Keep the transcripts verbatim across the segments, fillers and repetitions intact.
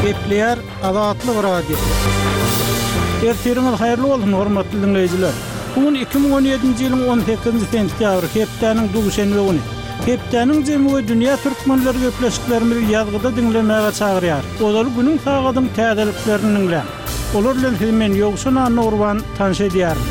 Gepleýär Azatlyk Radiosy. Ertiriňiz haýyrly bolsun, hormatly diňleýjiler! Bu gün iki müň on ýedinji ýylyň on sekizinji sentýabry, hepdäniň duşenbe güni. Hepdäniň jemi we dünýä türkmenleri gepleşiklerimizi ýazgyda diňlemäge çagyrýar. Ozaly günüň sagadyň täzeliklerini diňläň. Olar bilen sizi men Ýowşan Annagurban tanyş edýärin.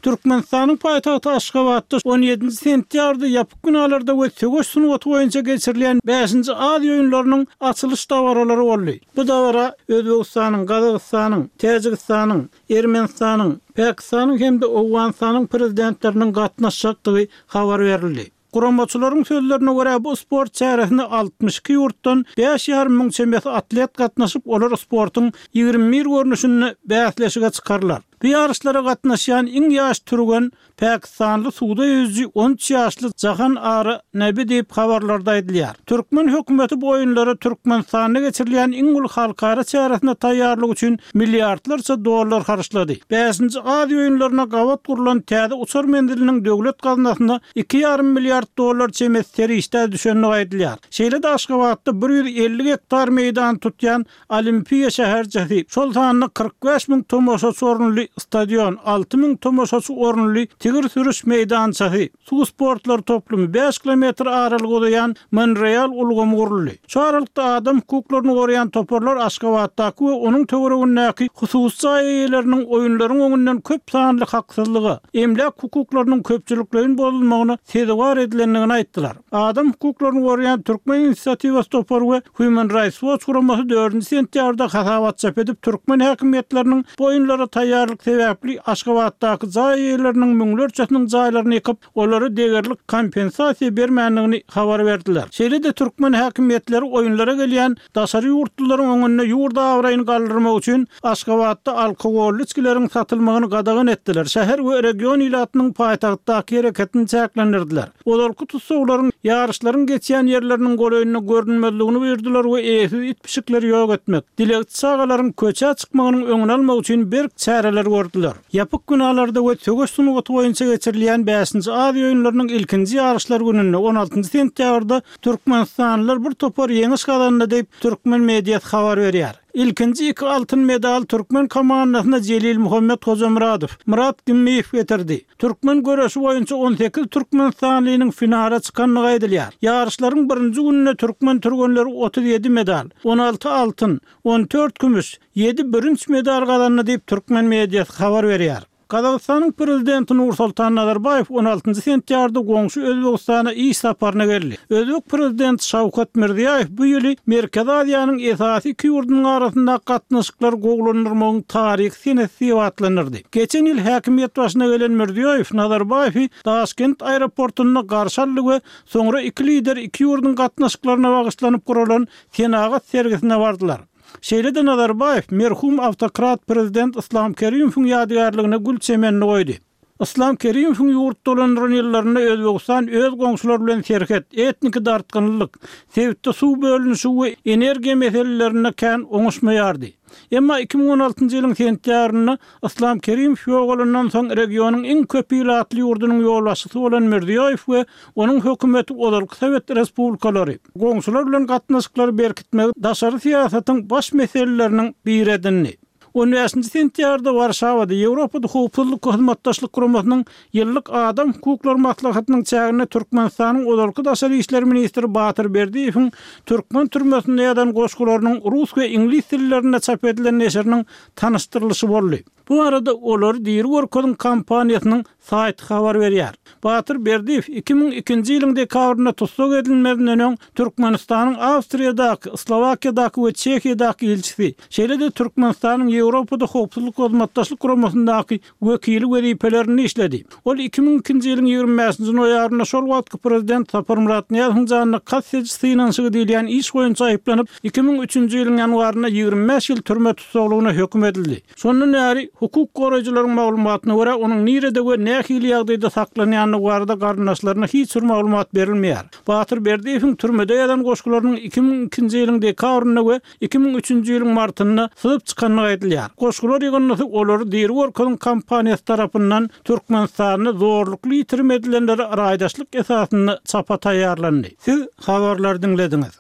Türkmenistanyň paýtagty Aşgabatda on ýedinji sentýabrda ýapyk binalarda we söweş sungaty boýunça geçirilýän bäşinji Aziýa oýunlarynyň açylyş dabaralary boldy. Bu dabara Özbegistanyň, Gazagystanyň, Täjigistanyň, Ermenistanyň, Pakistanyň hem-de Owganystanyň prezidentleriniň gatnaşjakdygy habar berildi. Guramaçylaryň sözlerine görä, bu sport çäresine altmyş iki ýurtdan bäş ýarym müň çemesi atlet gatnaşyp, olar sportuň ýigrimi bir görnüşinde bäsleşige çykarlar. Bu ýaryşlara gatnaşýan iň ýaş türgen pakistanly suwda ýüzüji on üç ýaşly Jahan Ara Nabi diýip habarlarda aýdylýar. Türkmen hökümeti bu oýunlara Türkmenistanda geçirilýän iň uly halkara çäresine taýýarlyk üçin milliardlarça dollar harçlady. Bäşinji Aziýa oýunlaryna gabat gurlan täze uçar menziliniň döwlet gaznasyna iki ýarym milliard dollar çemesi serişdä düşendigi aýdylýar. Şeýle-de Aşgabatda bir ýüz elli gektar meýdany tutýan Olimpiýa şäherçesi, şol sanda kyrk bäş müň tomaşaçy orunly stadion, alty müň tomaşaçy orunly tigir sürüş meýdançasy, suw sportlary toplumy, bäş kilometr aralyga uzaýan monoreal ulgamy guruldy. Şu aralykda adam hukuklaryny goraýan toparlar Aşgabatdaky we onuň töweregindäki hususy jaý eýeleriniň oýunlaryň öňünden köp sanly haksyzlyga, emläk hukuklarynyň köpçülikleýin bozulmagyna sezewar edilendigini aýtdylar. Adam hukuklaryny goraýan Türkmen inisiatiwasy topary we Human Rights Watch guramasy dördünji sentýabrda hasabat çap edip, türkmen häkimiýetleriniň bu oýunlara taýýarlyk sebäpli Aşgabatdaky jaý eýeleriniň müňlerçesiniň jaýlaryny ýykyp, olara degerli kompensasiýa bermändigini habar berdiler. Şeýle-de türkmen häkimiýetleri oýunlara gelýän daşary ýurtlularyň öňünde ýurt abraýyny galdyrmak üçin Aşgabatda alkogolly içgileriň satylmagyny gadagan etdiler, şäher we region ilatynyň paýtagtdaky hereketini çäklendirdiler. Ozalky tussaglaryň ýaryşlaryň geçýän ýerleriniň golaýynda görünmezligini buýurdylar we eýesiz it-pişikleri ýok etmek, dilegçi çagalaryň köçä çykmagynyň öňüni almak üçin berk çäreler gördüler. Ýapyk binalarda we söweş sungaty boýunça geçirilýän bäşinji Aziýa oýunlarynyň ilkinji ýaryşlar gününde, on altynjy sentýabrda türkmenistanlylar bir topar ýeňiş gazandy diýip, türkmen mediasy habar berýär. Ilkinji iki altyn medal türkmen komandasyna Jelilmuhammet Hojamyradow, Myrat Gimmiýew getirdi. Türkmen göreşi boýunça on sekiz türkmenistanlynyň finala çykandygy aýdylýar. Ýaryşlaryň birinji gününde türkmen türgenleri otuz ýedi medal, on alty altyn, on dört kümüş, ýedi bürünç medal gazandy diýip, türkmen mediasy habar berýär. Gazagystanyň prezidenti Nursultan Nazarbaýew on altynjy sentýabrda goňşy Özbegistana iş saparyna geldi. Özbek prezidenti Şawkat Mirziýaýew bu ýyly Merkezi Aziýanyň esasy iki ýurdunyň arasyndaky gatnaşyklary gowulandyrmagyň taryhy senesi diýip atlandyrdy. Geçen ýyl häkimiýet başyna gelen Mirziýoýew Nazarbaýewi Daşkent aeroportunda garşy aldy we soňra iki lider iki ýurduň gatnaşyklaryna bagyşlanyp guralan senagat sergisine bardylar. Şeýle-de Nazarbaýew merhum awtokrat prezident Yslam Kerimowyň ýadygärligine gül çemenini goýdy. Yslam Kerimowyň ýurt dolandyran ýyllarynda Özbegistan öz goňşulary bilen serhet, etniki dartgynlylyk, sebitde suw bölünişigi we energiýa meselelerinde kän oňuşmaýardy. Emma iki müň on altynjy ýylyň sentýabrynda Yslam Kerimow ýogalandan soň regionyň iň köp ilatly ýurdunyň ýolbaşçysy bolan Mirziýoýew we onuň hökümeti ozalky sowet respublikalary, goňşular bilen gatnaşyklary berkitmegi daşary syýasatyň baş meseleleriniň biri edindi. On bäşinji sentýabrda Warşawada Ýewropada Howpsuzlyk we Hyzmatdaşlyk Guramasynyň ýyllyk adam hukuklary maslahatynyň çäginde Türkmenistanyň ozalky daşary işler ministri Batyr Berdiýewiň türkmen türmesinde ýazan goşgularynyň rus we iňlis dillerinde çap edilen neşiriniň tanyşdyrylyşy boldy. Bu barada Olary diri görkeziň kampaniýasynyň saýty habar berýär. Batyr Berdiýew iki müň ikinji ýylyň dekabrynda tussag edilmezinden öň Türkmenistanyň Awstriýadaky, Slowakiýadaky we Çehiýadaky ilçisi, şeýle-de Türkmenistanyň Ýewropada Howpsuzlyk we Hyzmatdaşlyk Guramasyndaky wekili wezipelerinde işledi. Ol iki müň ikinji ýylyň ýigrimi bäşinji noýabrynda şol wagtky prezident Saparmyrat Nyýazowyň janyna kast ediş synanyşygy diýilýän iş boýunça aýyplanyp, iki müň üçünji ýylyň ýanwarynda ýigrimi bäş ýyl türme tussaglygyna höküm edildi. Şondan bäri, hukuk goraýjylaryň maglumatyna görä, onuň nirede we nähili ýagdaýda saklanýandygy barada garyndaşlaryna hiç bir maglumat berilmeýär. Batyr Berdiýewiň türmede ýazan goşgularynyň iki müň ikinji ýylyň dekabrynda we iki müň üçünji ýylyň martynda syzyp çykandygy aýdylýar. Goşgular ýygyndysy Olary diri görkeziň kampaniýasy tarapyndan Türkmenistanda zorlukly ýitirim edilenlere raýdaşlyk esasynda çapa taýýarlandy. Siz habarlary diňlediňiz.